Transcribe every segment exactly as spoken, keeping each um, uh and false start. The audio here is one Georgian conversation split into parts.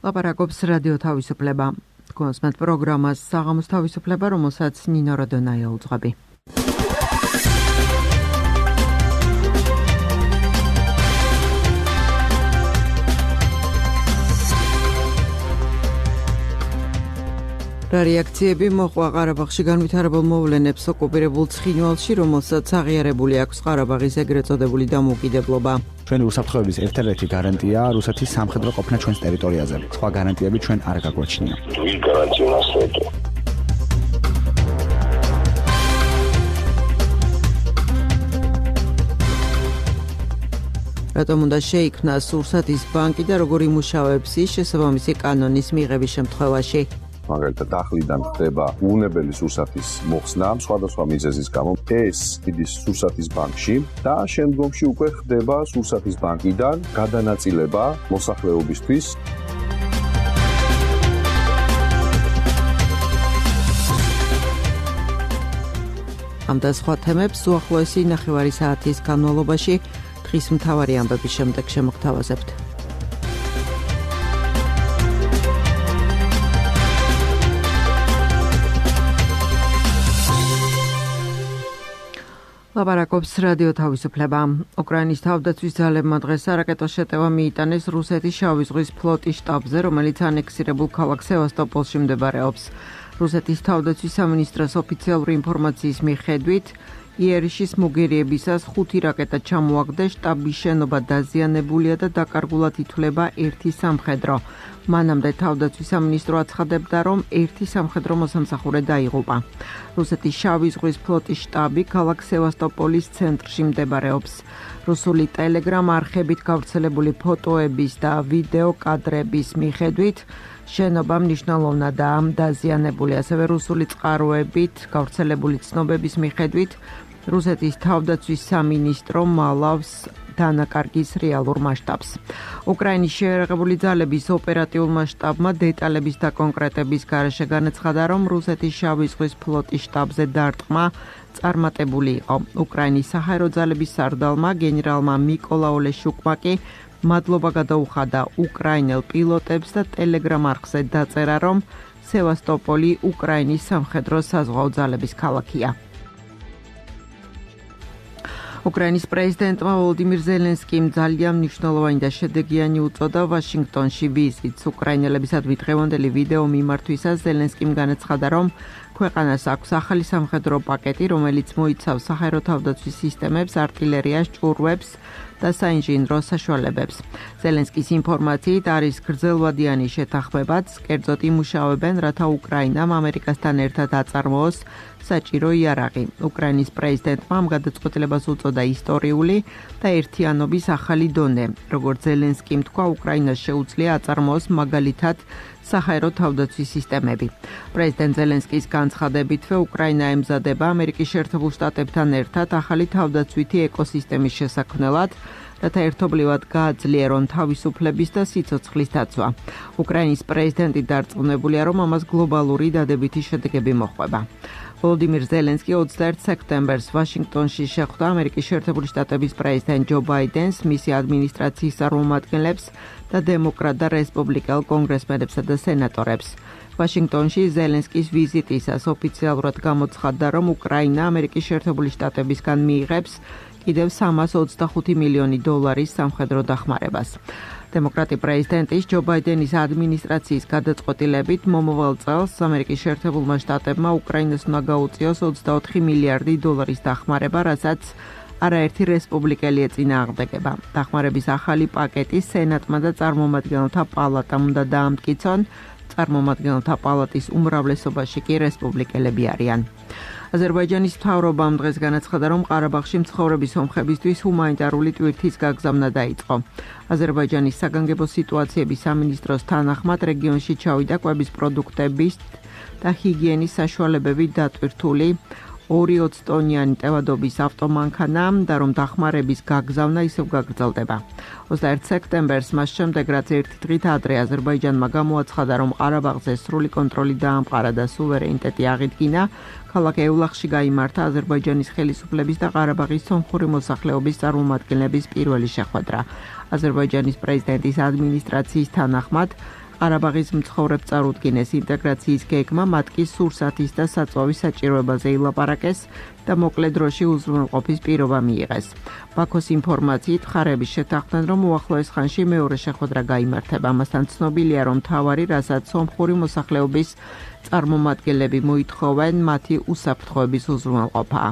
ლაპარაკობს რადიო თავისუფლება. კონსმეთ პროგრამას საღამოს თავისუფლება, რომელსაც ნინო როდონაია უძღვები. რა რეაქციები მოყვა ყარაბაღში განვითარებულ მოვლენებს ოკუპირებულ ცხინვალში, რომელსაც აღიარებული აქვს ყარაბაღის ეგრეთ წოდებული დამოუკიდებლობა. ჩვენი უსაფრთხოების ერთ-ერთი გარანტია რუსეთის სამხედრო ყოფნა ჩვენს ტერიტორიაზე. სხვა გარანტიები ჩვენ არ გაგვაჩნია. Две гарантии у нас нету. რატომ უნდა შეიქმნას რუსეთის ბანკი და როგორ იმუშავებს ის შესაბამისი კანონის მიღების შემთხვევაში? მაგალითად ახლიდან ხდება უუნებელი სურსათის მოხსნა სხვადასხვა მიზეზის გამო ეს იდის სურსათის ბანკში და შემდგომში უკვე ხდება სურსათის ბანკიდან გადანაწილება მოსახლეობისთვის. ამ და სხვა თემებს უახლოესი ნახევარი საათის განმავლობაში დღის მთავარი ამბების შემდეგ შემოგთავაზებთ. ლაპარაკობს რადიო თავისუფლება. უკრაინის თავდაცვის ძალებმა დღეს არაკეტო შეტევა მიიტანეს რუსეთის შავი ზღვის ფლოტის შტაბზე, რომელიც ანექსირებულ ქალაქ სევასტოპოლში მდებარეობს. რუსეთის თავდაცვის სამინისტროს ოფიციალური ინფორმაციის მიხედვით, იერიშის მოგერიებისას ხუთი რაკეტა ჩამოაგდეს, შტაბის შენობა დაზიანებულია და დაკარგულად ითვლება ერთი სამხედრო. მანამდე თავდაცვის სამინისტრო აცხადებდა, რომ ერთი სამხედრო მოსამსახურე დაიღუპა. რუსეთის შავი ზღვის ფლოტის შტაბი ქალაქ სევასტოპოლის ცენტრში მდებარეობს. რუსული ტელეგრამ არხებით გავრცელებული ფოტოების და ვიდეო კადრების მიხედვით, შენობა მნიშვნელოვნადაა დაზიანებული. ასევე რუსული წყაროებით გავრცელებული ცნობების მიხედვით, რუსეთის თავდაცვის სამინისტრო მალავს დანაკარგის რეალურ მასშტაბს. უკრაინის შეიარაღებული ძალების ოპერატიულმა შტაბმა დეტალების დაკონკრეტების გარეშე განაცხადა, რომ რუსეთის შავი ზღვის ფლოტის შტაბზე დარტყმა წარმატებული იყო. უკრაინის საჰაერო ძალების სარდალმა გენერალმა მიკოლა ოლეშუკმა კი მადლობა გადაუხადა უკრაინელ პილოტებს და ტელეგრამ არხზე დაწერა, რომ სევასტოპოლი უკრაინის სამხედრო საზღვაო ძალების ქალაქია. უკრაინის პრეზიდენტმა ვოლოდიმირ ზელენსკიმ ძალიან მნიშვნელოვანი და შედეგიანი უწოდა ვაშინგტონში ვიზიტს. უკრაინელებისადმი დღევანდელი ვიდეო მიმართვისას ზელენსკიმ განაცხადა, რომ ქვეყანას აქვს ახალი სამხედრო პაკეტი, რომელიც მოიცავს საჰაერო თავდაცვის სისტემებს, არტილერიას, ჭურვებს და საინჟინრო საშუალებებს. ზელენსკის ინფორმაციით არის გრძელვადიანი შეთანხმებაც, კერძოდ იმუშავებენ, რათა უკრაინამ ამერიკასთან ერთად აწარმოოს საჭირო იარაღი. უკრაინის პრეზიდენტმა ამ გადაწყვეტილებას უწოდა ისტორიული და ერთიანობის ახალი დონე. როგორც ზელენსკიმ თქვა, უკრაინას შეუძლია აწარმოოს მაგალითად საჰაერო თავდაცვის სისტემები. პრეზიდენტ ზელენსკის განცხადებითვე უკრაინა ემზადება ამერიკის შეერთებულ შტატებთან ერთად ახალი თავდაცვითი ეკოსისტემის შესაქმნელად, რათა ერთობლივად გააძლიერონ თავისუფლების და სიცოცხლის დაცვა. უკრაინის პრეზიდენტი დარწმუნებულია, რომ ამას გლობალური დადებითი შედეგები მოჰყვება. ვოლოდიმირ ზელენსკი ოცდაერთ სექტემბერს ვაშინგტონში შეხვდა ამერიკის შეერთებული შტატების პრეზიდენტ ჯო ბაიდენს, მისი ადმინისტრაციის წარმომადგენლებს და დემოკრატ და რესპუბლიკელ კონგრესმენებსა და სენატორებს. ვაშინგტონში ზელენსკის ვიზიტისას ოფიციალურად გამოცხადდა, რომ უკრაინა ამერიკის შეერთებული შტატებისგან მიიღებს კიდევ სამას ოცდახუთი მილიონი დოლარის სამხედრო დახმარებას. დემოკრატი პრეზიდენტის ჯო ბაიდენის ადმინისტრაციის გადაწყვეტილებით მომავალ წელს ამერიკის შეერთებულმა შტატებმა უკრაინას უნდა გაუწიოს ოცდაოთხი მილიარდი დოლარის დახმარება, რასაც არაერთი რესპუბლიკელი ეწინააღმდეგება. დახმარების ახალი პაკეტი სენატმა და წარმომადგენელთა პალატამ უნდა დაამტკიცონ, წარმომადგენელთა პალატის უმრავლესობაში კი რესპუბლიკელები არიან. აზერბაიჯანის მთავრობამ დღეს განაცხადა, რომ ყარაბაღში მცხოვრები სომხებისთვის ჰუმანიტარული ტვირთის გაგზავნა დაიწყო. აზერბაიჯანის საგანგებო სიტუაციების სამინისტროს თანახმად რეგიონში ჩავიდა კვების პროდუქტების და ჰიგიენის საშუალებებით დატვირთული ორი ოცდაათწლიანი ტევადობის ავტომანქანა და რომ დახმარების გაგზავნა ისევ გაგრძელდება. ოცდაერთ სექტემბერს მას შემდეგ, რაც ერთი დღით ადრე აზერბაიჯანმა გამოაცხადა, რომ ყარაბაღზე სრული კონტროლი დაამყარა და სუვერენიტეტი აღიდგინა, ქალაქ ევლახში გაიმართა აზერბაიჯანის ხელისუფლების და ყარაბაღის სომხური მოსახლეობის წარმომადგენლების პირველი შეხვედრა. აზერბაიჯანის პრეზიდენტის ადმინისტრაციის თანახმად, ყარაბაღის მცხოვრებ წარუდგინეს ინტეგრაციის გეგმა, მათ კი სურსათის და საწვავის საჭიროებაზე ილაპარაკეს და მოკლე დროში უზრუნველყოფის პირობა მიიღეს. ბაქოს ინფორმაციით მხარეები შეთანხმდნენ, რომ უახლოეს ხანში მეორე შეხვედრა გაიმართება. ამასთან ცნობილია, რომ მთავარი, რასაც სომხური მოსახლეობის წარმომადგენლები მოითხოვენ, მათი უსაფრთხოების უზრუნველყოფაა.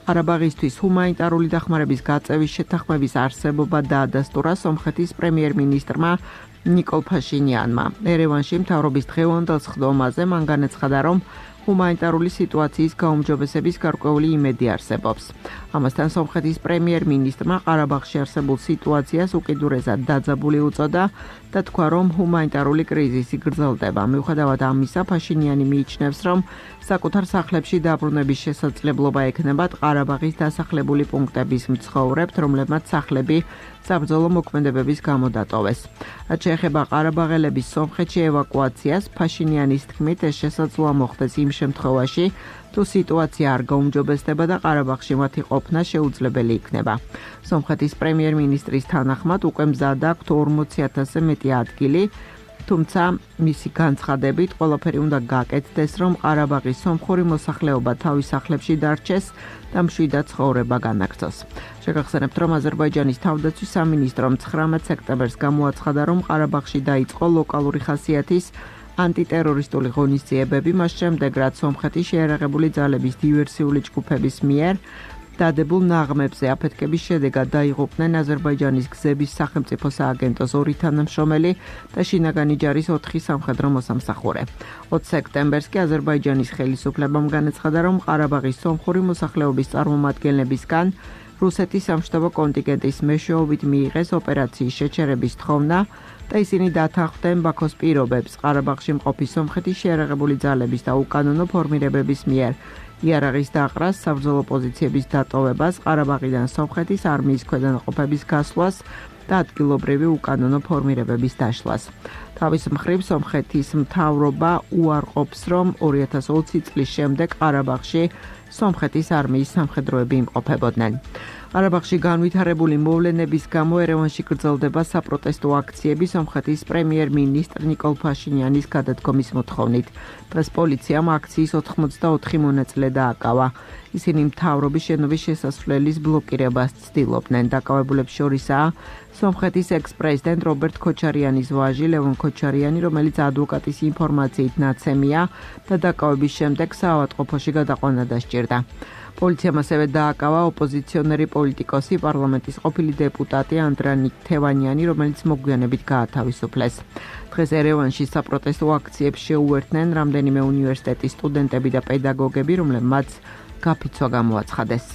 ყარაბაღისთვის ჰუმანიტარული დახმარების გაწევის შეთანხმების არსებობა დაადასტურა სომხეთის პრემიერ-მინისტრმა ნიკოლ ფაშინიანმა. ერევანში მთავრობის დღევანდელ სხდომაზე მან განაცხადა, რომ ჰუმანიტარული სიტუაციის გაუმჯობესების გარკვეული იმედი არსებობს. ამასთან სომხეთის პრემიერ-მინისტრმა ყარაბაღში არსებულ სიტუაციას უკიდურესად დაძაბული უწოდა და თქვა, რომ ჰუმანიტარული კრიზისი გრძელდება. მიუხედავად ამისა, ფაშინიანი მიიჩნევს, რომ საკუთარ სახლებში დაბრუნების შესაძლებლობა ექნებათ ყარაბაღის დასახლებული პუნქტების მცხოვრებთ, რომლებმაც სახლები საბრძოლო მოქმედებების გამო დატოვეს. რაც შეეხება ყარაბაღელების სომხეთში ევაკუაციას, ფაშინიანის თქმით, ეს შესაძლოა მოხდეს იმ შემთხვევაში, თუ სიტუაცია არ გაუმჯობესდება და ყარაბაღში მათი ყოფნა შეუძლებელი იქნება. სომხეთის პრემიერ-მინისტრის თანახმად უკვე მზად აქვთ ორმოცი ათასზე მეტი ადგილი, თუმცა მისი განცხადებით ყველაფერი უნდა გაკეთდეს, რომ ყარაბაღის სომხური მოსახლეობა თავის სახლებში დარჩეს და მშვიდად ცხოვრება განაგრძოს. შეგახსენებთ, რომ აზერბაიჯანის თავდაცვის სამინისტრომ ცხრამეტ სექტემბერს გამოაცხადა, რომ ყარაბაღში დაიწყო ლოკალური ხასიათის ანტიტერორისტული ღონისძიებები, მას შემდეგ რაც სომხეთის შეიარაღებული ძალების დივერსიული ჯგუფების მიერ დადებულ ნაღმებზე აფეთქების შედეგად დაიღუპნენ აზერბაიჯანის გზების სახელმწიფო სააგენტოს ორი თანამშრომელი და შინაგანი ჯარის ოთხი სამხედრო მოსამსახურე. ოცი სექტემბერს კი აზერბაიჯანის ხელისუფლებამ განაცხადა, რომ ყარაბაღის სომხური მოსახლეობის წარმომადგენლებისგან რუსეთის სამშტაბო კონტინგენტის მეშვეობით მიიღეს ოპერაციის შეჩერების თხოვნა და ისინი დათანხმდნენ ბაქოს პირობებს ყარაბაღში მყოფი სომხეთის შეიარაღებული ძალების და უკანონო ფორმირებების მიერ იარაღის დაყრას, საბრძოლო პოზიციების დატოვებას, ყარაბაღიდან სომხეთის არმიის ქვედანაყოფების გასვლას და ადგილობრივი უკანონო ფორმირებების დაშლას. თავის მხრივ სომხეთის მთავრობა უარყოფს, რომ ორი ათას ოცი წლის შემდეგ ყარაბაღში სომხეთის არმიის სამხედროები იმყოფებოდნენ. ყარაბაღში განვითარებული მოვლენების გამო ერევანში გრძელდება საპროტესტო აქციები სომხეთის პრემიერ-მინისტრ ნიკოლ ფაშინიანის გადადგომის მოთხოვნით. დღეს პოლიციამ აქციის ოთხმოცდაოთხი მონაწილე დააკავა. ისინი მთავრობის შენობის შესასვლელის ბლოკირებას ცდილობდნენ. დაკავებულებს შორისაა სომხეთის ექს-პრეზიდენტ რობერტ ქოჩარიანის ვაჟი ლევონ ქოჩარიანი, რომელიც ადვოკატის ინფორმაციით ნაცემია და დაკავების შემდეგ საავადმყოფოში გადაყვანა დასჭირდა. პოლიციამ ასევე დააკავა ოპოზიციონერი პოლიტიკოსი, პარლამენტის ყოფილი დეპუტატი ანდრანი თევანიანი, რომელიც მოგვიანებით გაათავისუფლეს. დღეს ერევანში საპროტესტო აქციებს შეუერთდნენ რამდენიმე უნივერსიტეტის სტუდენტები და პედაგოგები, რომლებმაც გაფიცვა გამოაცხადეს.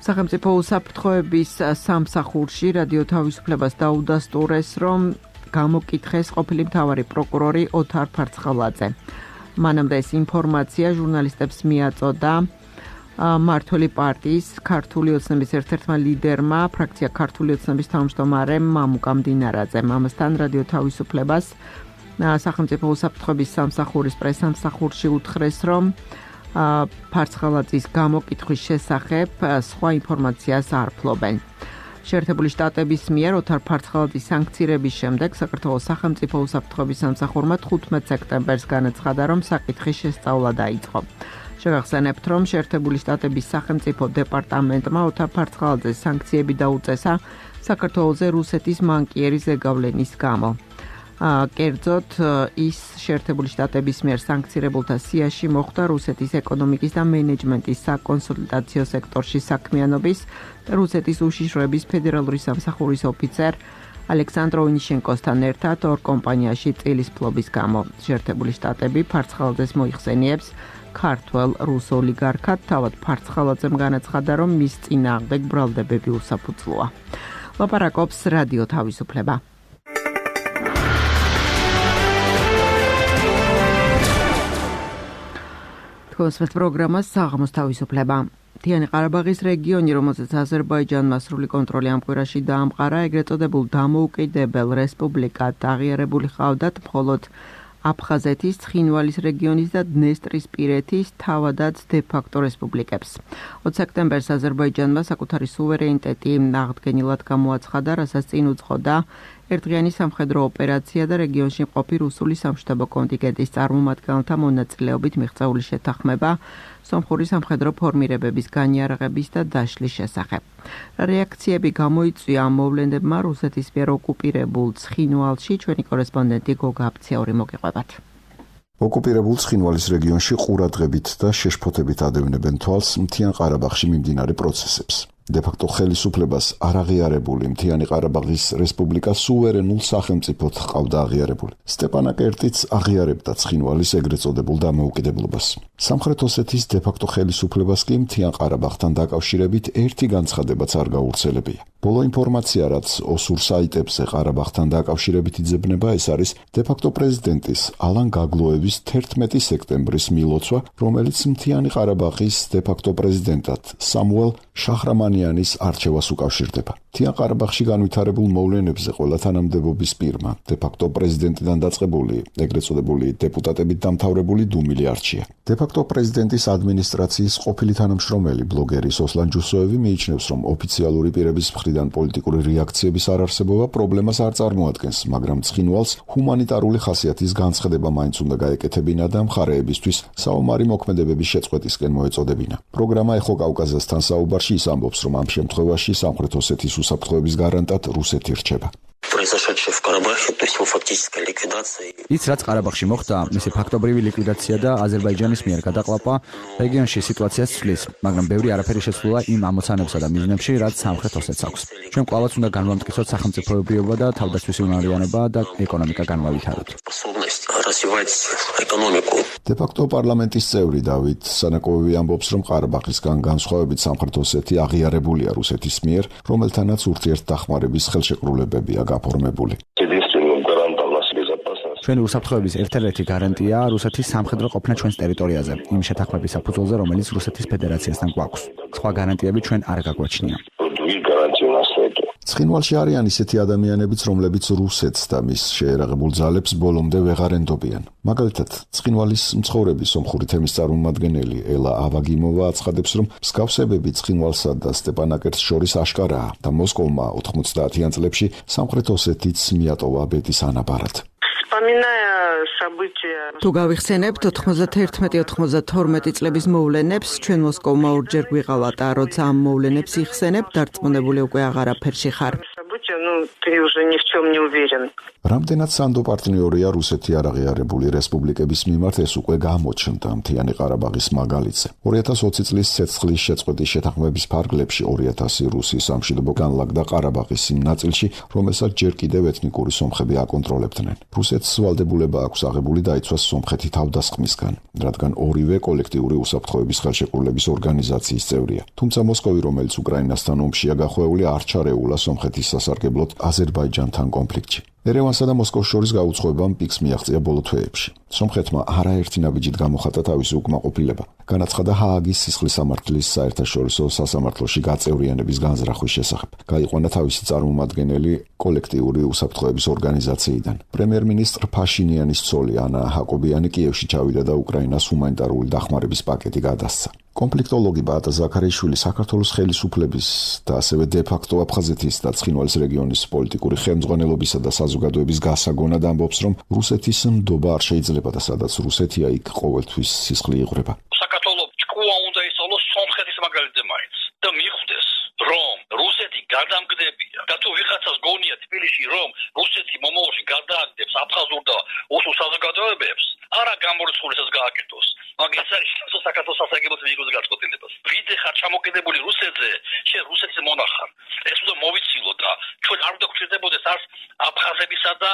სახელმწიფო უსაფრთხოების სამსახურში რადიო თავისუფლებას დაუდასტურეს, რომ გამოკითხეს ყოფილი მთავარი პროკურორი ოთარ ფარცხალაძე. მანამდე ეს ინფორმაცია ჟურნალისტებს მიაწოდა მართული პარტიის ქართული ოცნების ერთ-ერთმა ლიდერმა, ფრაქცია ქართული ოცნების თავმჯდომარემ მამუკა მდინარაძემ. ამასთან რადიო თავისუფლებას სახელმწიფო უსაფრთხოების სამსახურის პრესამსახურში უთხრეს, რომ ფარცხალაძის გამოკითხვის შესახებ სხვა ინფორმაციას არ ფლობენ. შეერთებული შტატების მიერ ოთარ ფარცხალაძის სანქცირების შემდეგ საქართველოს სახელმწიფო უსაფრთხოების სამსახურმა თხუთმეტ სექტემბერს განაცხადა, რომ საკითხის შესწავლა დაიწყო. შეგახსენებთ, რომ შეერთებული შტატების სახელმწიფო დეპარტამენტმა ოთარ ფარცხალაძეს სანქციები დაუწესა საქართველოზე რუსეთის მანკიერი ზეგავლენის გამო. კერძოდ, ის შეერთებული შტატების მიერ სანქცირებულთა სიაში მოხვდა რუსეთის ეკონომიკის და მენეჯმენტის საკონსულტაციო სექტორში საქმიანობის და რუსეთის უშიშროების ფედერალური სამსახურის ოფიცერ ალექსანდრ ონიშენკოსთან ერთად ორ კომპანიაში წილის ფლობის გამო. შეერთებული შტატები ფარცხალაძეს მოიხსენიებს ქართველ რუს ოლიგარქად, თავად ფარცხალაძემ განაცხადა, რომ მის წინააღმდეგ ბრალდებები უსაფუძვლოა. ლაპარაკობს რადიო თავისუფლება. კონსვერტ პროგრამას საღამოს თავისუფლება. მთიანი ყარაბაღის რეგიონი, რომელზეც აზერბაიჯანმა სრული კონტროლი ამ კვირაში დაამყარა, ეგრეთ წოდებულ დამოუკიდებელ რესპუბლიკად აღიარებული ჰყავდათ მხოლოდ აფხაზეთის, ცხინვალის რეგიონის და დნესტრისპირეთის თავადაც დე-ფაქტო რესპუბლიკებს. ოცი სექტემბერს აზერბაიჯანმა საკუთარი სუვერენიტეტი აღდგენილად გამოაცხადა, რასაც წინ უძღოდა ერთდღიანი სამხედრო ოპერაცია და რეგიონში მყოფი რუსული სამშტაბო კონტინგენტის წარმომადგენელთა მონაწილეობით მიღწეული შეთანხმება სომხური სამხედრო ფორმირებების განიარაღების და დაშლის შესახებ. რეაქციები გამოიწვია ამ მოვლენებმა რუსეთის მიერ ოკუპირებულ ცხინვალში. ჩვენი კორესპონდენტი გოგა აფციური მოგიყვებათ. ოკუპირებულ ცხინვალის რეგიონში ყურადღებით და შეშფოთებით ადევნებენ თვალს მთიან ყარაბაღში მიმდინარე პროცესებს. დე-ფაქტო ხელისუფლებას არ აღიარებული მთიანი ყარაბაღის რესპუბლიკა სუვერენულ სახელმწიფოდ ჰყავდა აღიარებული. სტეპანაკერტიც აღიარებდა ცხინვალის ეგრეთ წოდებულ დამოუკიდებლობას. სამხრეთ ოსეთის დე-ფაქტო ხელისუფლებას კი მთიან ყარაბაღთან დაკავშირებით ერთი განცხადებაც არ გაავრცელებია. ბოლო ინფორმაცია, რაც ოსურ საიტებზე ყარაბაღთან დაკავშირებით იძებნება, ეს არის დე-ფაქტო პრეზიდენტის ალან გაგლოევის თერთმეტი სექტემბრის მილოცვა, რომელიც მთიანი ყარაბაღის დე-ფაქტო პრეზიდენტად სამუელ შაჰრამანიანის არჩევას უკავშირდება. მთიან ყარაბაღში განვითარებულ მოვლენებზე ყველა თანამდებობის პირმა დე-ფაქტო პრეზიდენტიდან დაწყებული ეგრეთ წოდებული დეპუტატებით დამთავრებული დუმილი არჩია. დე-ფაქტო პრეზიდენტის ადმინისტრაციის ყოფილი თანამშრომელი ბლოგერი სოსლან ჯუსოევი მიიჩნევს, რომ ოფიციალური პირების მხრიდან პოლიტიკური რეაქციების არარსებობა პრობლემას არ წარმოადგენს, მაგრამ ცხინვალს ჰუმანიტარული ხასიათის განცხადება მაინც უნდა გაეკეთებინა და მხარეებისთვის საომარი მოქმედებების შეწყვეტისკენ მოეწოდებინა. პროგრამა ეხო კავკასიასთან საუბარში ის ამბობს, რომ ამ შემთხვევაში სამხრეთ ოსეთის უსაფრთხოების გარანტად რუსეთი რჩება. ის რაც ყარაბაღში მოხდა, მისი ფაქტობრივი ლიკვიდაცია და აზერბაიჯანის მიერ გადაყლაპვა რეგიონში სიტუაციას ცვლის, მაგრამ ბევრი არაფერი შეცვლა იმ ამოცანებსა და მიზნებში, რაც სამხრეთ ოსეთს აქვს. ჩვენ კვლავაც უნდა განვამტკიცოთ სახელმწიფოებრიობა და თავდაცვის უნარიანობა და ეკონომიკა განავითაროთ. დე-ფაქტო პარლამენტის წევრი დავით სანაკოვი ამბობს, რომ ყარაბაღისგან განსხვავებით სამხრეთ ოსეთი აღიარებულია რუსეთის მიერ, რომელთანაც ურთიერთდახმარების ხელშეკრულებებია გაფორმებული. ჩვენი უსაფრთხოების ერთ-ერთი გარანტია რუსეთის სამხედრო ყოფნა ჩვენს ტერიტორიაზე, იმ შეთანხმების საფუძველზე, რომელიც რუსეთის ფედერაციასთან გვაქვს. სხვა გარანტიები ჩვენ არ გაგვაჩნია. ცხინვალში არიან ისეთი ადამიანებიც, რომლებიც რუსეთს და მის შეერაღებულ ძალებს ბოლომდე ვეღარ ენდობიან. მაგალითად, ცხინვალის მცხოვრები სომხური თემის წარმომადგენელი ელა ავაგიმოვა აცხადებს, რომ მსგავსებები ცხინვალსა და სტეპანაკერტს შორის აშკარაა და მოსკოვმა ოთხმოცდაათიან წლებში სამხრეთ ოსეთიც მიატოვა ბედის ანაბარად. თუ გავიხსენებთ ოთხმოცდაერთმეტი ოთხმოცდათორმეტი წლების მოვლენებს, ჩვენ მოსკოვმა ორჯერ გვიყავატა, როცა ამ მოვლენებს იხსენებ, დარწმუნებული უკვე აღარაფერში ხარ. რამდენად სანდო პარტნიორია რუსეთი არაღიარებული რესპუბლიკების მიმართ, ეს უკვე გამოჩნდა მთიანი ყარაბაღის მაგალითზე. ორი ათას ოცი წლის ცეცხლის შეწყვეტის შეთანხმების ფარგლებში ორი ათასი რუსი სამშვიდობო განლაგდა ყარაბაღის იმ ნაწილში, რომელსაც ჯერ კიდევ ეთნიკური სომხები აკონტროლებდნენ. რუსეთს ვალდებულება აქვს აღებული დაიცვას სომხეთი თავდასხმისგან, რადგან ორივე კოლექტიური უსაფრთხოების ხელშეკრულების ორგანიზაციის წევრია. თუმცა მოსკოვი, რომელიც უკრაინასთან ომშია გახვეული, არ ჩარეულა სომხეთის სასარგებლოდ აზერბაიჯანთან კონფლიქტში. ერევანსა და მოსკოვს შორის გაუცხოებამ პიკს მიაღწია ბოლო თვეებში. სომხეთმა არაერთი ნაბიჯით გამოხატა თავისი უკმაყოფილება. განაცხადა ჰააგის სისხლის სამართლის საერთაშორისო სასამართლოში გაწევრიანების განზრახვის შესახებ. გაიყვანა თავისი წარმომადგენელი კოლექტიური უსაფრთხოების ორგანიზაციიდან. პრემიერ-მინისტრ ფაშინიანის ცოლი ანა ჰაკობიანი კიევში ჩავიდა და უკრაინას ჰუმანიტარული დახმარების პაკეტი გადასცა. კონფლიქტოლოგი ბაატა ზაქარიშვილი საქართველოს ხელისუფლების და ასევე დე-ფაქტო აფხაზეთის და ცხინვალის რეგიონის პოლიტიკური ხელმძღვანელობისა და საზოგადოების გასაგონად ამბობს, რომ რუსეთის ნდობა არ შეიძლება და სადაც რუსეთია, იქ ყოველთვის სისხლი იღვრება. საქართველოს ჭკუა უნდა ისწავლოს სომხეთის მაგალითზე მაინც და მიხვდეს, რომ რუსეთი გადამგდებია და თუ ვიღაცას გონია თბილისში, რომ რუსეთი მომავალში გადააგდებს აფხაზურ და ოსურ საზოგადოებებს, არა გამორიცხულს ეს გააკეთოს. მაგას არის საქართველოს სასაგებელოს მიიღოს გაწყვეტილებას. ვიდე ხარ ჩამოკიდებული რუსეთზე, შენ რუსეთის მონახარ. ეს უნდა მოვიცილო და ჩვენ არ უნდა გვჭირდებოდეს არც აფხაზებისა და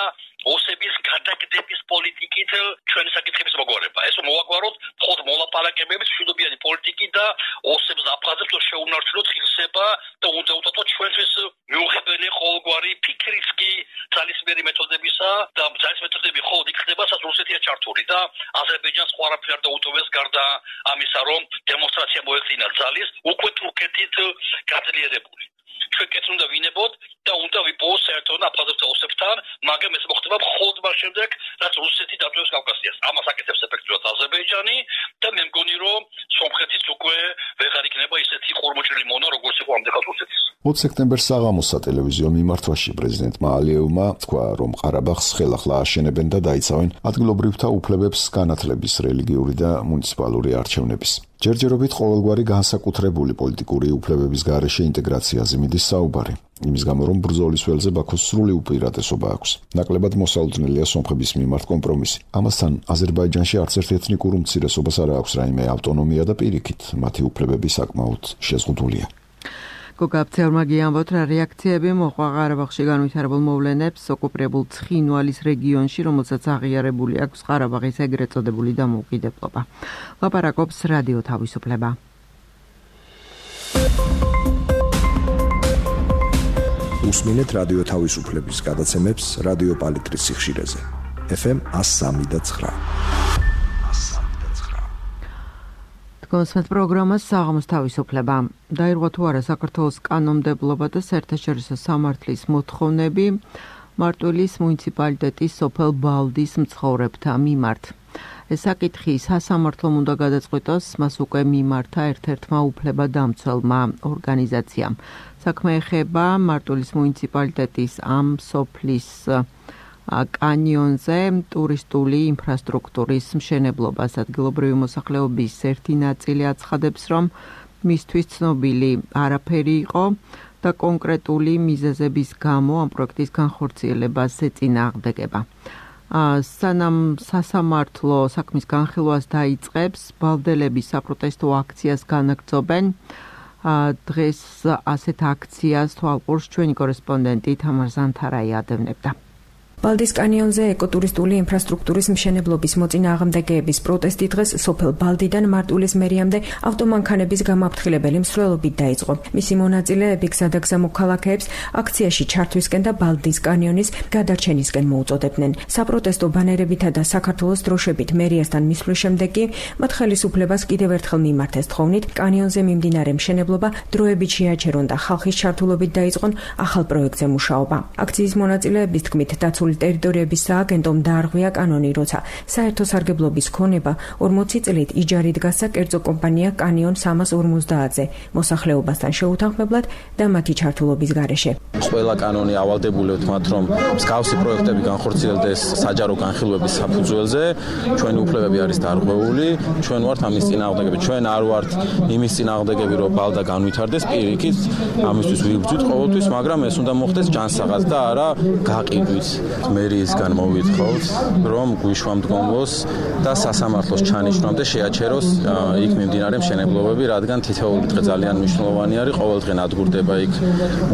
ოსების გადაგდების პოლიტიკით ჩვენი საკითხების მოგვარება. ეს მოვაგვაროთ მხოლოდ მოლაპარაკებებით, მშვიდობიანი პოლიტიკით და ოსებს აფხაზებს შეუნარჩუნოთ ღირსება და უნდა უთათოთ ჩვენთვის მიუღებელი ყოველგვარი ფიქრის კი ძალისმიერი მეთოდებისა და ძალის მეთოდები მხოლოდ იქ ხდება, სადაც რუსეთია ჩართული და აზერბაიჯანს სხვა არაფერი არ დაუტოვებს გარდა ამისა, რომ დემონსტრაცია მოეხდინა ძალის უკვე თურქეთით გაძლიერებული. ჩვენ კეთს უნდა ვინებოთ და უნდა ვიპოვოს საერთოდ აფხაზებთან ოსებთან, მაგრამ ეს მოხდება მხოლოდ მას შემდეგ, რაც რუსეთი დატოვებს კავკასიას. ამას აკეთებს ეფექტურად აზერბაიჯანი და მე მგონი, რომ სომხეთის უკვე ვეღარ იქნება ისეთი ყურმოჭრილი მონა, როგორც იყო ამდენად რუსეთის. ოცი სექტემბერს საღამოს სატელევიზიო მიმართვაში პრეზიდენტმა ალიევმა თქვა, რომ ყარაბაღს ხელახლა აშენებენ და დაიცავენ ადგილობრივთა უფლებებს განათლების, რელიგიური და მუნიციპალური არჩევნების. ჯერჯერობით ყოველგვარი განსაკუთრებული პოლიტიკური უფლებების გარეშე ინტეგრაციაზე მიდის საუბარი. იმის გამო, რომ ბრძოლის ველზე ბაქოს სრული უპირატესობა აქვს. ნაკლებად მოსალოდნელია სომხების მიმართ კომპრომისი. ამასთან აზერბაიჯანში არც ერთ ეთნიკურ უმცირესობას არ აქვს რაიმე ავტონომია და პირიქით მათი უფლებები საკმაოდ შეზღუდულია. გოგაბცევრმა გიამბოთ, რა რეაქციები მოყვა ყარაბაღში განვითარებულ მოვლენებს ოკუპირებულ ცხინვალის რეგიონში, რომელსაც აღიარებული აქვს ყარაბაღის ეგრეთ წოდებული დამოუკიდებლობა. ლაპარაკობს რადიო თავისუფლება. უსმინეთ რადიო თავისუფლების გადაცემებს რადიო პალიტრის სიხშირეზე. ეფ ემ one oh three point nine. კონსმეთ პროგრამას საღამოს თავისუფლება. დაირღვა თუ არა საქართველოს კანონმდებლობა და საერთაშორისო სამართლის მოთხოვნები მარტვილის მუნიციპალიტეტის სოფელ ბალდის მცხოვრებთა მიმართ. ეს საკითხი სასამართლომ უნდა გადაწყვიტოს, მას უკვე მიმართა ერთ-ერთმა უფლებადამცველმა ორგანიზაციამ. საქმე ეხება მარტვილის მუნიციპალიტეტის ამ სოფლის კანიონზე ტურისტული ინფრასტრუქტურის მშენებლობას. ადგილობრივი მოსახლეობის ერთი ნაწილი აცხადებს, რომ მისთვის ცნობილი არაფერი იყო და კონკრეტული მიზეზების გამო ამ პროექტის განხორციელებას ეწინააღმდეგება. სანამ სასამართლო საქმის განხილვას დაიწყებს, ბალდელები საპროტესტო აქციას განაგრძობენ. დღეს ასეთ აქციას თვალყურს ჩვენი კორესპონდენტი თამარ ზანთარაი ადევნებდა. ბალდის კანიონზე ეკოტურისტული ინფრასტრუქტურის მშენებლობის მოწინააღმდეგეების პროტესტი დღეს სოფელ ბალდიდან მარტვილის მერიამდე ავტომანქანების გამაფრთხილებელი მსვლელობით დაიწყო. მისი მონაწილეები გზადაგზა მოქალაქეებს აქციაში ჩართვისკენ და ბალდის კანიონის გადარჩენისკენ მოუწოდებდნენ. საპროტესტო ბანერებითა და საქართველოს დროშებით მერიასთან მისვლის შემდეგ კი მათ ხელისუფლებას კიდევ ერთხელ მიმართეს თხოვნით, კანიონზე მიმდინარე მშენებლობა დროებით შეაჩერონ და ხალხის ჩართულობით დაიწყონ ახალ პროექტზე მუშაობა. აქციის მონაწილეების თქმით, დაცული ტერიტორიების სააგენტომ დაარღვია კანონი, როცა საერთო სარგებლობის ქონება ორმოცი წლით იჯარით გასცა კერძო კომპანია კანიონ სამას ორმოცდაათზე მოსახლეობასთან შეუთანხმებლად და მათი ჩართულობის გარეშე. ყველა კანონი ავალდებულებთ მათ, რომ მსგავსი პროექტები განხორციელდეს საჯარო განხილვების საფუძველზე. ჩვენი უფლებები არის დარღვეული, ჩვენ ვართ ამის წინააღმდეგები, ჩვენ არ ვართ იმის წინააღმდეგები, რომ ბალდა განვითარდეს, პირიქით ამისთვის ვიბრძვით ყოველთვის, მაგრამ ეს უნდა მოხდეს ჯანსაღად და არა გაყიდვით. მერიისგან მოვითხოვთ, რომ გვიშვამდგომლოს და სასამართლოს ჩანიშნამდე შეაჩეროს იქ მიმდინარე მშენებლობები, რადგან თითოეული დღე ძალიან მნიშვნელოვანი არის, ყოველდღე ნადგურდება იქ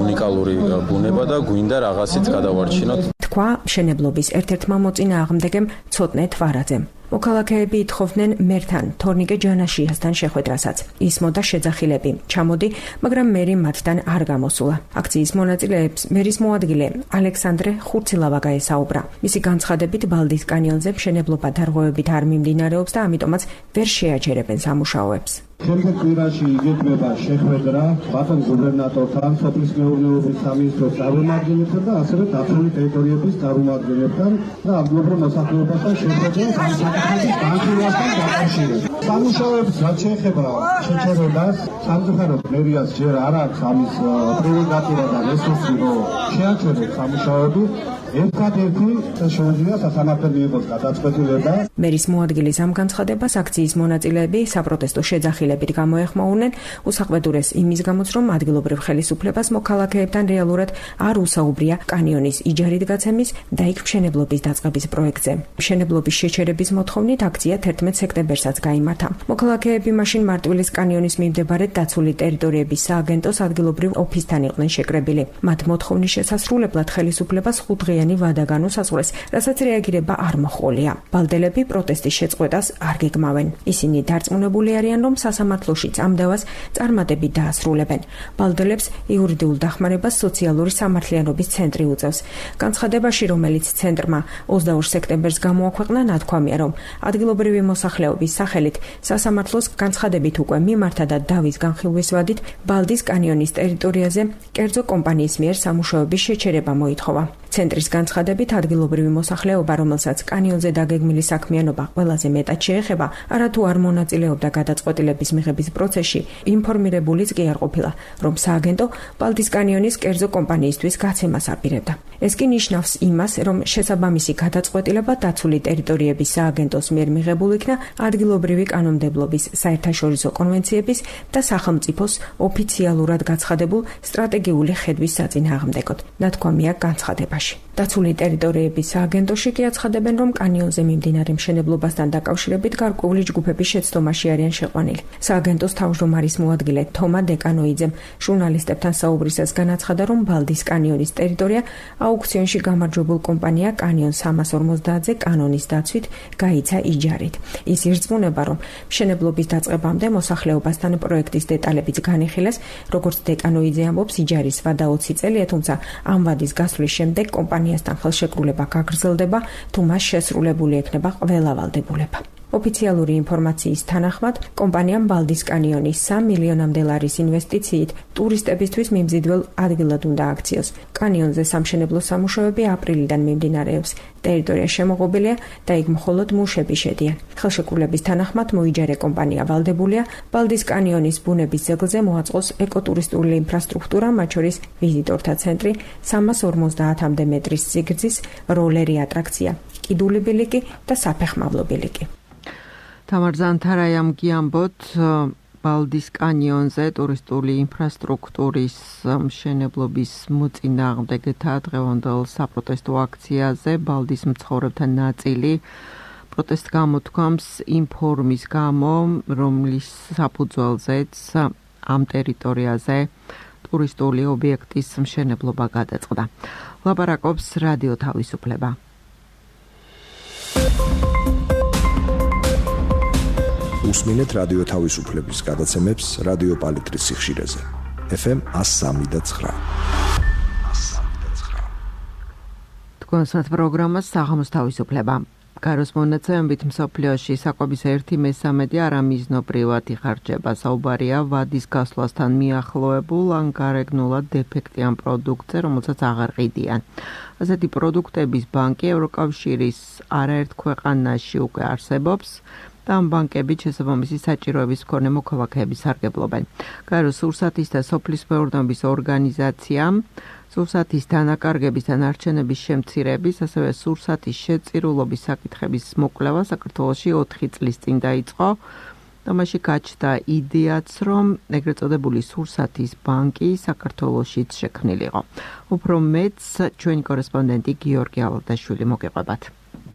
უნიკალური ბუნება და გვინდა რაღაცით გადავარჩინოთ. თქვა მშენებლობის ერთ-ერთმა მოწინააღმდეგემ ცოტნე თვარაძემ. მოქალაქეები ითხოვდნენ მერთან თორნიკე ჯანაშიასთან შეხვედრასაც. ისმოდა შეძახილები. ჩამოდი, მაგრამ მერი მათთან არ გამოსულა. აქციის მონაწილეებს მერის მოადგილე ალექსანდრე ხურცილავა გაესაუბრა. მისი განცხადებით ბალდის კანიონზე მშენებლობა დარღვევებით არ მიმდინარეობს და ამიტომაც ვერ შეაჩერებენ სამუშაოებს. შემდეგ კვირაში იგეგმება შეხვედრა ბათუმის გუბერნატორთან, სოფლის მეურნეობის სამინისტროს წარმომადგენლებთან და ასევე დაცული ტერიტორიების წარმომადგენლებთან და ადგილობრივ მოსახლეობასთან შეხვედრა საკითხების განხილვასთან დაკავშირებით. სამუშაოებს რაც შეეხება შეჩერებას, სამწუხაროდ მერიას ჯერ არ აქვს ამის პრეროგატივა და რესურსი, რომ შეაჩეროს სამუშაოები. ერთადერთი შეუძლია სასამართლომ მიიღოს გადაწყვეტილება. მერის მოადგილის ამ განცხადებას აქციის მონაწილეები საპროტესტო შეძახილებით გამოეხმაურნენ, უსაყვედურეს იმის გამოც, რომ ადგილობრივ ხელისუფლებას მოქალაქეებთან რეალურად არ უსაუბრია კანიონის იჯარით გაცემის და იქ მშენებლობის დაწყების პროექტზე. მშენებლობის შეჩერების მოთხოვნით აქცია თერთმეტ სექტემბერსაც გაიმართა. მოქალაქეები მაშინ მარტვილის კანიონის მიმდებარედ დაცული ტერიტორიების სააგენტოს ადგილობრივ ოფისთან იყვნენ შეკრებილი. მათ მოთხოვნის შესასრულებლად ხელისუფლებას ხუთდღე ვადა განუსაზღვრეს, რასაც რეაგირება არ მოჰყოლია. ბალდელები პროტესტის შეწყვეტას არ გეგმავენ. ისინი დარწმუნებული არიან, რომ სასამართლოში წამდევას წარმატებით დაასრულებენ. ბალდელებს იურიდიულ დახმარებას სოციალური სამართლიანობის ცენტრი უწევს. განცხადებაში, რომელიც ცენტრმა ოცდაორ სექტემბერს გამოაქვეყნა, ნათქვამია, რომ ადგილობრივი მოსახლეობის სახელით სასამართლოს განცხადებით უკვე მიმართა და დავის განხილვის ვადით ბალდის კანიონის ტერიტორიაზე კერძო კომპანიის მიერ სამუშაოების შეჩერება მოითხოვა. ცენტრის განცხადებით ადგილობრივი მოსახლეობა, რომელსაც კანიონზე დაგეგმილი საქმიანობა ყველაზე მეტად შეეხება, არათუ არ მონაწილეობდა გადაწყვეტილების მიღების პროცესში, ინფორმირებულიც კი არ ყოფილა, რომ სააგენტო ბალტის კანიონის კერძო კომპანიისთვის გაცემას აპირებდა. ეს კი ნიშნავს იმას, რომ შესაბამისი გადაწყვეტილება დაცული ტერიტორიების სააგენტოს მიერ მიღებულ იქნა ადგილობრივი კანონმდებლობის, საერთაშორისო კონვენციების და სახელმწიფოს ოფიციალურად გაცხადებულ სტრატეგიული ხედვის საწინააღმდეგოდ. ნათქვამია განცხადებაში. დაცული ტერიტორიების სააგენტოში კი აცხადებენ, რომ კანიონზე მიმდინარე მშენებლობასთან დაკავშირებით გარკვეული ჯგუფების შეცდომაში არიან შეყვანილი. სააგენტოს თავმჯდომარის მოადგილე თომა დეკანოიძემ ჟურნალისტებთან საუბრისას განაცხადა, რომ ბალდის კანიონის ტერიტორია აუქციონში გამარჯვებულ კომპანია კანიონ სამას ორმოცდაათზე კანონის დაცვით გაიცა იჯარით. ის ირწმუნება, რომ მშენებლობის დაწყებამდე მოსახლეობასთან პროექტის დეტალებიც განიხილეს, როგორც დეკანოიძე ამბობს, იჯარის ვადა ოცი წელია, თუმცა ამ ვადის გასვლის შემდეგ კომპანიასთან ხელშეკრულება გაგრძელდება, თუ მას შესრულებული ექნება ყველა ვალდებულება. ოფიციალური ინფორმაციის თანახმად, კომპანიამ ბალდის კანიონის სამი მილიონამდე ლარის ინვესტიციით ტურისტებისთვის მიმზიდველ ადგილად უნდა აქციოს. კანიონზე სამშენებლო სამუშაოები აპრილიდან მიმდინარეობს. ტერიტორია შემოღობილია და იქ მხოლოდ მუშები შედიან. ხელშეკრულების თანახმად მოიჯარე კომპანია ვალდებულია ბალდის კანიონის ბუნების ძეგლზე მოაწყოს ეკოტურისტული ინფრასტრუქტურა, მათ შორის ვიზიტორთა ცენტრი, სამას ორმოცდაათამდე მეტრის სიგრძის როლერი ატრაქცია, კიდული ბილიკი და საფეხმავლო ბილიკი. თამარ ზანთარაიამ გიამბოთ ბალდის კანიონზე ტურისტული ინფრასტრუქტურის მშენებლობის მოწინააღმდეგეთა დღევანდელ საპროტესტო აქციაზე ბალდის მცხოვრებთა ნაწილი პროტესტს გამოთქვამს ინფორმის გამო, რომლის საფუძველზეც ამ ტერიტორიაზე ტურისტული ობიექტის მშენებლობა გადაწყდა. ლაპარაკობს რადიო თავისუფლება. უსმინეთ რადიო თავისუფლების გადაცემებს რადიო პალიტრის სიხშირეზე. ეფ ემ ას სამი და ცხრა. თქვენსათ პროგრამას საღამოს თავისუფლება. გაროს მონაცემებით მსოფლიოში საკვების ერთი მესამედი არამიზნობრივად იხარჯება. საუბარია ვადის გასვლასთან მიახლოებულ ან გარეგნულად დეფექტიან პროდუქტზე, რომელსაც აღარ ყიდიან. ასეთი პროდუქტების ბანკი ევროკავშირის არაერთ ქვეყანაში უკვე არსებობს. ამ ბანკებით შესაბამისი საჭიროების მქონე მოქალაქეების სარგებლობენ. გაეროს სურსათის და სოფლის მეურნეობის ორგანიზაციამ სურსათის დანაკარგების და ნარჩენების შემცირების, ასევე სურსათის შეწირულობის საკითხების მოკვლევა საქართველოში ოთხი წლის წინ დაიწყო. ამაში გაჩნდა იდეაც, რომ ეგრეთ წოდებული სურსათის ბანკი საქართველოშიც შექმნილიყო. უფრო მეტს ჩვენი კორესპონდენტი გიორგი ალადაშვილი მოგეყვებათ.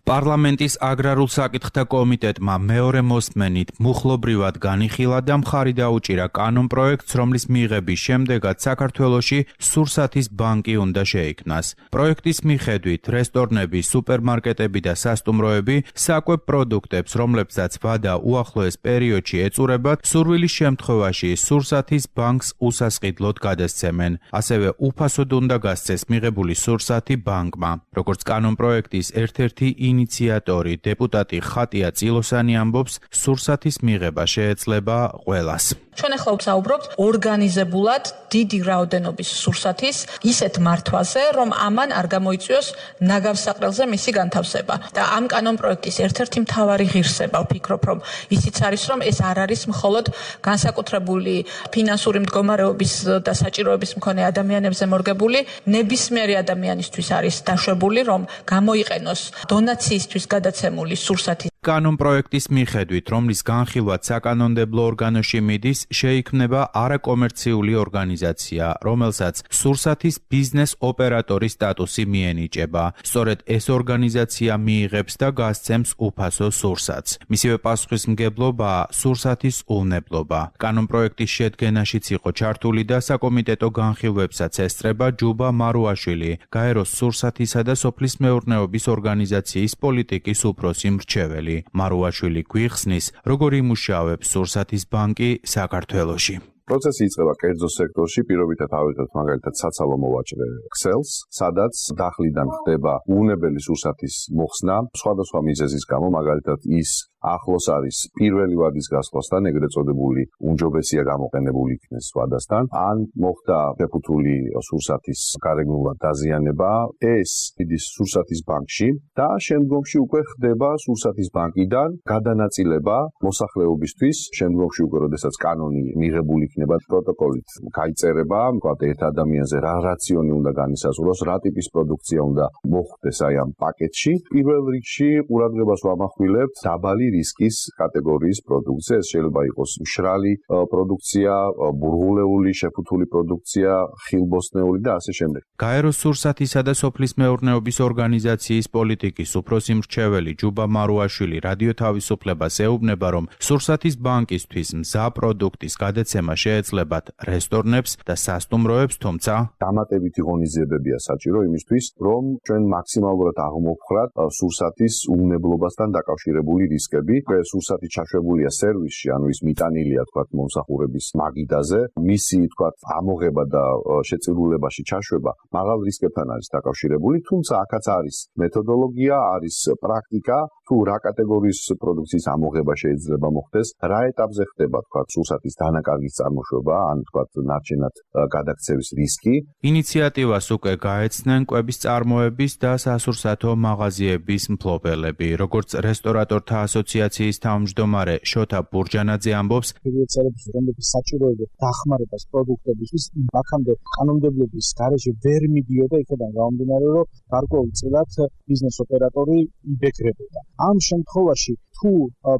პარლამენტის აგრარულ საკითხთა კომიტეტმა მეორე მოსმენით მუხლობრივად განიხილა და მხარი დაუჭირა კანონ პროექტს, რომლის მიღების შემდეგაც საქართველოში სურსათის ბანკი უნდა შეიქმნას. პროექტის მიხედვით რესტორნები, სუპერმარკეტები და სასტუმროები საკვებ პროდუქტებს, რომლებსაც ვადა უახლოეს პერიოდში ეწურებათ, სურვილის შემთხვევაში სურსათის ბანკს უსასყიდლოდ გადასცემენ. ასევე უფასოდ უნდა გასცეს მიღებული სურსათი ბანკმა. როგორც კანონ პროექტის ერთ-ერთი ინიციატორი დეპუტატი ხატია წილოსანი ამბობს, სურსათის მიღება შეეძლება ყველას. ჩვენ ახლა ვსაუბრობთ ორგანიზებულად დიდი რაოდენობის სურსათის ისეთ მართვაზე, რომ ამან არ გამოიწვიოს ნაგავსაყრელზე მისი განთავსება. და ამ კანონ პროექტის ერთ-ერთი მთავარი ღირსება, ვფიქრობ, რომ ისიც არის, რომ ეს არ არის მხოლოდ განსაკუთრებული ფინანსური მდგომარეობის და საჭიროების მქონე ადამიანებზე მორგებული, ნებისმიერი ადამიანისთვის არის დაშვებული, რომ გამოიყენოს დონაციისთვის გადაცემული სურსათი. კანონ პროექტის მიხედვით, რომლის განხილვაც საკანონმდებლო ორგანოში მიდის, შეიქმნება არაკომერციული ორგანიზაცია, რომელსაც სურსათის ბიზნეს ოპერატორის სტატუსი მიენიჭება. სწორედ ეს ორგანიზაცია მიიღებს და გასცემს უფასო სურსათს. მისივე პასუხისმგებლობაა სურსათის უვნებლობა. კანონ პროექტის შედგენაშიც იყო ჩართული და საკომიტეტო განხილვებსაც ესწრება ჯუბა მარუაშვილი, გაეროს სურსათისა და სოფლის მეურნეობის ორგანიზაციის პოლიტიკის უფროსი მრჩეველი. მარუაშვილი გვიხსნის, როგორ იმუშავებს სურსათის ბანკი საქართველოში. პროცესი იწყება კერძო სექტორში, პირობითად ავიღებთ მაგალითად საცალო მოვაჭრე ქსელს, სადაც დახლიდან ხდება უვნებელი სურსათის მოხსნა, სხვადასხვა მიზეზის გამო, მაგალითად ის ახლოს არის პირველი ვადის გასვლასთან, ეგრეთ წოდებული უმჯობესია გამოყენებული იქნეს ვადასთან, ან მოხდა შეფუთული სურსათის გარეგნულად დაზიანება, ეს იდის სურსათის ბანკში და შემდგომში უკვე ხდება სურსათის ბანკიდან გადანაწილება მოსახლეობისთვის, შემდგომში უკვე როდესაც კანონი მიღებული იქნება პროტოკოლით გაიწერება, ვთქვათ, ერთ ადამიანზე რა რაციონი უნდა განისაზღვროს, რა ტიპის პროდუქცია უნდა მოხვდეს აი ამ პაკეტში. პირველ რიგში ყურადღებას ვამახვილებთ დაბალი რისკის კატეგორიის პროდუქცია, ეს შეიძლება იყოს მშრალი პროდუქცია, ბურღულეული, შეფუთული პროდუქცია, ხილბოსტნეული და ასე შემდეგ. გაეროს სურსათისა და სოფლის მეურნეობის ორგანიზაციის პოლიტიკის უფროსი მრჩეველი ჯუბა მარუაშვილი რადიო თავისუფლებას ეუბნება, რომ სურსათის ბანკისთვის მზა პროდუქტის გადაცემა შეეძლებათ რესტორნებს და სასტუმროებს, თუმცა დამატებითი ღონისძიებებია საჭირო იმისთვის, რომ ჩვენ მაქსიმალურად აღმოვხრათ სურსათის უნებლობასთან დაკავშირებული რისკები. სურსათი ჩაშვებულია სერვისში, ანუ ის მიტანილია, თქვათ, მომსახურების მაგიდაზე, მისი, თქვათ, ამოღება და შეწირულებაში ჩაშვება მაღალ რისკებთან არის დაკავშირებული, თუმცა აქაც არის მეთოდოლოგია, არის პრაქტიკა, თუ რა კატეგორიის პროდუქციის ამოღება შეიძლება მოხდეს, რა ეტაპზე ხდება, თქვათ, სურსათის დანაკარგის წარმოშვება, ან, თქვათ, ნარჩენად გადაქცევის რისკი. ინიციატივას უკვე გაეცნენ კვების წარმოების და სასურსათო მაღაზიების მფლობელები, როგორც რესტორატორთა ასოციაციის თავმჯდომარე შოთა ბურჯანაძე ამბობს, ფედერაციების რომლებიც საჭიროება დახმარებას პროდუქტებისთვის აქამდე კანონმდებლობის გარეშე ვერ მიდიოდა, იქიდან გამომდინარე, რომ გარკვეულწილად ბიზნეს ოპერატორი იბეკრებოდა. ამ შემთხვევაში თუ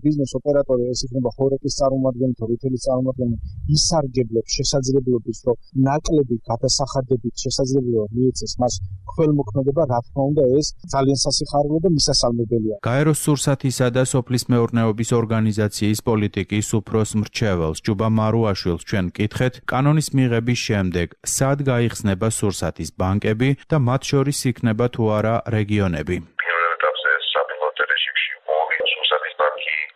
ბიზნეს ოპერატორი ეს იქნება ხორეკის წარმომადგენელი თუ რიტეილის წარმომადგენელი ისარგებლებს შესაძლებლობის, რომ ნაკლები გადასახადებით შესაძლებლობა მიეცეს მას ქველმოქმედება, რა თქმა უნდა, ეს ძალიან სასიხარულო და მისასალმებელია. გაეროს სურსათისა და სოფლის მეურნეობის ორგანიზაციის პოლიტიკის უფროს მრჩეველს ჯუბა მარუაშვილს ჩვენ ვკითხეთ, კანონის მიღების შემდეგ სად გაიხსნება სურსათის ბანკები და მათ შორის იქნება თუ არა რეგიონები.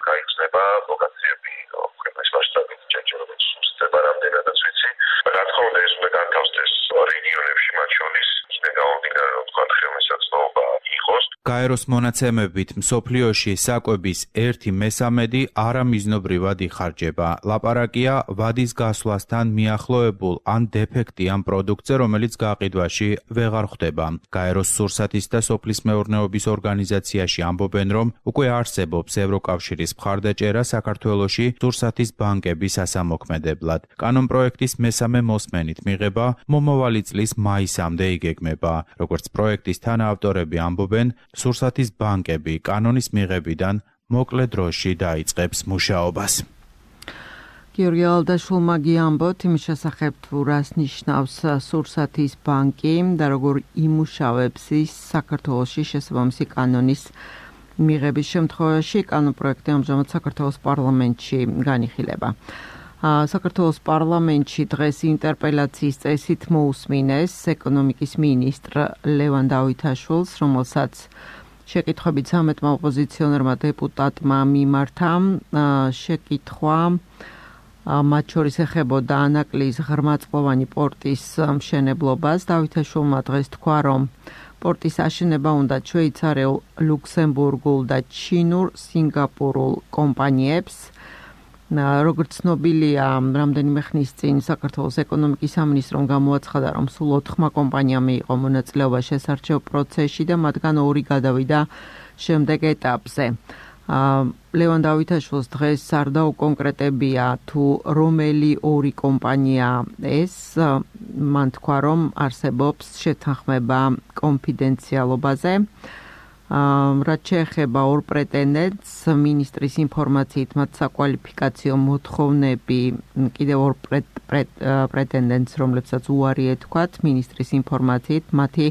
გაიხსნება ლოკაციები ქვეყნის მასშტაბით, ჯერჯერობით სუსტება რამდენადაც ვიცი. რა თქმა უნდა, ეს უნდა განთავსდეს რეგიონებში, მათ შორის იქნება გამომდინარე, რომ თქვა ხელმისაწვდომობა იყოს. გაეროს მონაცემებით მსოფლიოში საკვების ერთი მესამედი არამიზნობრივად იხარჯება. ლაპარაკია ვადის გასვლასთან მიახლოებულ ან დეფექტიან პროდუქტზე, რომელიც გაყიდვაში ვეღარ ხვდება. გაეროს სურსათის და სოფლის მეურნეობის ორგანიზაციაში ამბობენ, რომ უკვე არსებობს ევროკავშირის მხარდაჭერა საქართველოში სურსათის ბანკების ასამოქმედებლად. კანონპროექტის მესამე მოსმენით მიღება მომავალი წლის მაისამდე იგეგმება. როგორც პროექტის თანაავტორები ამბობენ, სურსათის ბანკები კანონის მიღებიდან მოკლე დროში დაიწყებს მუშაობას. გიორგი ალდაშვილმა გიამბოთ იმის შესახებ, თუ რას ნიშნავს სურსათის ბანკი და როგორ იმუშავებს ის საქართველოში შესაბამისი კანონის მიღების შემთხვევაში. კანონპროექტი ამჟამად საქართველოს პარლამენტში განიხილება. საქართველოს პარლამენტში დღეს ინტერპელაციის წესით მოусმინეს ეკონომიკის მინისტრ ლევან დავითაშვილს, რომელსაც შეკითხვებით სამეთმა ოპოზიციონერმა დეპუტატმა მიმართა. შეკითხვა მათ შორის ეხებოდა ანაკლის ღრმაწყლოვანი პორტის მშენებლობას. დავითაშვილმა დღეს თქვა, რომ პორტის აშენება უნდა შვეიცარიულ, ლუქსემბურგულ და ჩინურ, სინგაპურულ კომპანიებს. როგორც ცნობილია, რამდენიმე ხნის წინ საქართველოს ეკონომიკის სამინისტრომ გამოაცხადა, რომ სულ ოთხმა კომპანიამ მიიღო მონაწილეობა შესარჩევ პროცესში და მათგან ორი გადავიდა შემდეგ ეტაპზე. ლევან დავითაშვილს დღეს არ დაუკონკრეტებია, თუ რომელი ორი კომპანია ეს. მან თქვა, რომ არსებობს შეთანხმება კონფიდენციალობაზე. რაც შეეხება ორ პრეტენდენტს, მინისტრის ინფორმაციით მათ საკვალიფიკაციო მოთხოვნები კიდევ ორ პრეტენდენტს, რომლებსაც უარი ეთქვათ, მინისტრის ინფორმაციით მათი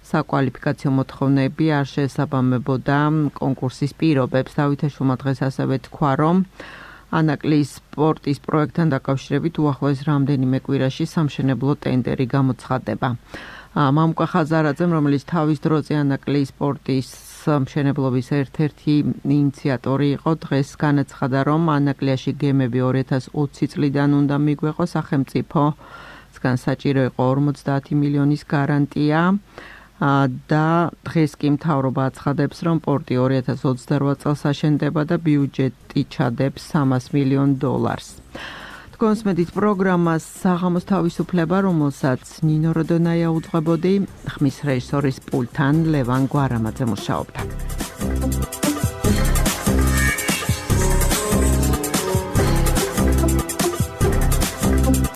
საკვალიფიკაციო მოთხოვნები არ შეესაბამებოდა კონკურსის პირობებს. დავითაშვილმა დღეს ასევე თქვა, რომ ანაკლის პორტის პროექტთან დაკავშირებით უახლოეს რამდენიმე კვირაში სამშენებლო ტენდერი გამოცხადდება. მამუკა ხაზარაძემ, რომელიც თავის დროზე ანაკლის პორტის მშენებლობის ერთ-ერთი ინიციატორი იყო, დღეს განაცხადა, რომ ანაკლიაში გემები ორი ათას ოცი წლიდან უნდა მიგვეყო, სახელმწიფოსგან საჭირო იყო ორმოცდაათი მილიონის გარანტია. და დღეს კი მთავრობა აცხადებს, რომ პორტი ორი ათას ოცდარვა წელს აშენდება და ბიუჯეტი ჩადებს სამას მილიონ დოლარს. თქვენს მედით პროგრამას საღამოს თავისუფლება, რომელსაც ნინო როდონაია უძღვებოდი, ხმის რეჟისორის პულტთან ლევან გვარამაძე მუშაობდა.